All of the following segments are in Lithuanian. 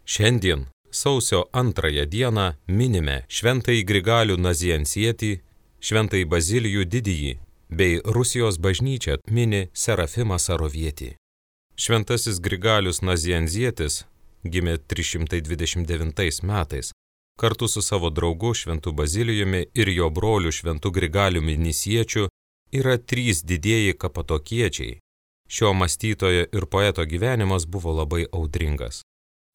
Šiandien, sausio 2 dieną, minime šventąjį Grigalių Naziansietį, šventąjį Bazilijų Didįjį, bei Rusijos bažnyčia mini Serafimą Sarovietį. Šventasis Grigalius Nazianzietis gimė 329 metais. Kartu su savo draugu šventu Bazilijumi ir jo broliu šventu Grigaliumi Nisiečiu yra 3 didieji kapatokiečiai. Šio mąstytojo ir poeto gyvenimas buvo labai audringas.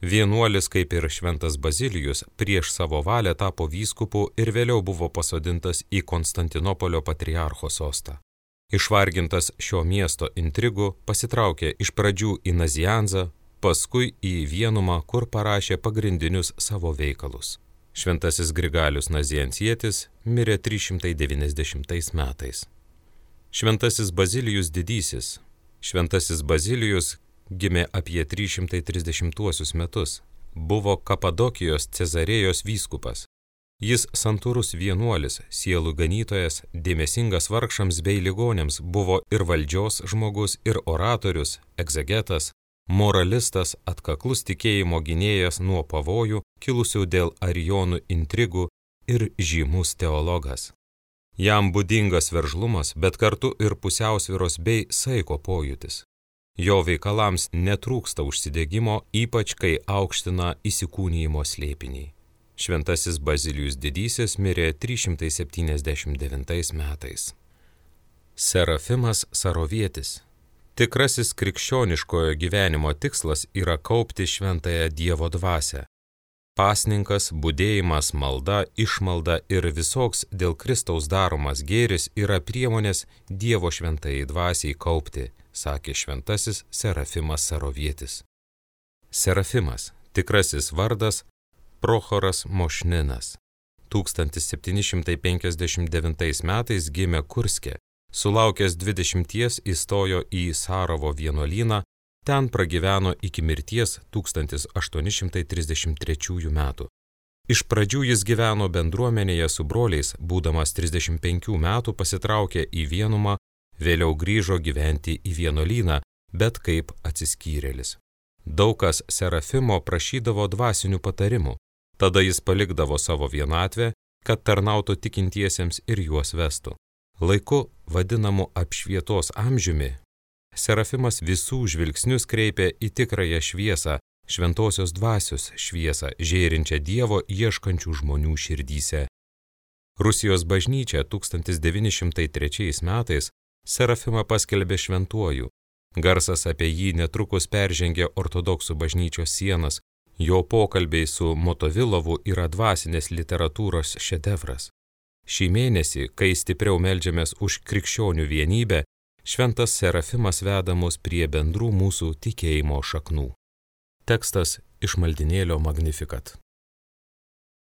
Vienuolis, kaip ir šventas Bazilijus, prieš savo valią tapo vyskupu ir vėliau buvo pasodintas į Konstantinopolio patriarcho sostą. Išvargintas šio miesto intrigų, pasitraukė iš pradžių į Nazianzą, paskui į Vienumą, kur parašė pagrindinius savo veikalus. Šventasis Grigalius Naziansietis mirė 390 metais. Šventasis Bazilijus Didysis. Šventasis Bazilijus gimė apie 330 metus. Buvo Kapadokijos Cezarėjos vyskupas. Jis santūrus vienuolis, sielų ganytojas, dėmesingas vargšams bei ligonėms, buvo ir valdžios žmogus, ir oratorius, egzegetas, moralistas, atkaklus tikėjimo gynėjas nuo pavojų, kilusių dėl arijonų intrigų ir žymus teologas. Jam būdingas veržlumas, bet kartu ir pusiausvyros bei saiko pojūtis. Jo veikalams netrūksta užsidegimo, ypač kai aukština įsikūnijimo slėpinį. Šventasis Bazilijus Didysis mirė 379 metais. Serafimas Sarovietis. Tikrasis krikščioniškojo gyvenimo tikslas yra kaupti šventąją Dievo dvasią. Pasninkas, budėjimas, malda, išmalda ir visoks dėl Kristaus daromas gėris yra priemonės Dievo šventajai dvasiai kaupti, sakė šventasis Serafimas Sarovietis. Serafimas, tikrasis vardas Prochoras Mošninas. 1759 metais gimė Kurske. Sulaukęs 20 įstojo į Sarovo vienuolyną, ten pragyveno iki mirties 1833 metų. Iš pradžių jis gyveno bendruomenėje su broliais, būdamas 35 metų pasitraukė į Vienumą, vėliau grįžo gyventi į vienuolyną, bet kaip atsiskyrėlis. Daug kas Serafimo prašydavo dvasinių patarimų, tada jis palikdavo savo vienatvę, kad tarnautų tikintiesiems ir juos vestų. Laiku vadinamu apšvietos amžiumi, Serafimas visų žvilgsnius kreipė į tikrąją šviesą, šventosios dvasios šviesą, žėrinčią Dievo ieškančių žmonių širdyse. Rusijos bažnyčia 1903 metais Serafimą paskelbė šventuoju. Garsas apie jį netrukus peržengė ortodoksų bažnyčios sienas, jo pokalbiai su Motovilovu yra dvasinės literatūros šedevras. Šį mėnesį, kai stipriau meldžiamės už krikščionių vienybę, šventas Serafimas veda mus prie bendrų mūsų tikėjimo šaknų. Tekstas iš maldinėlio Magnificat.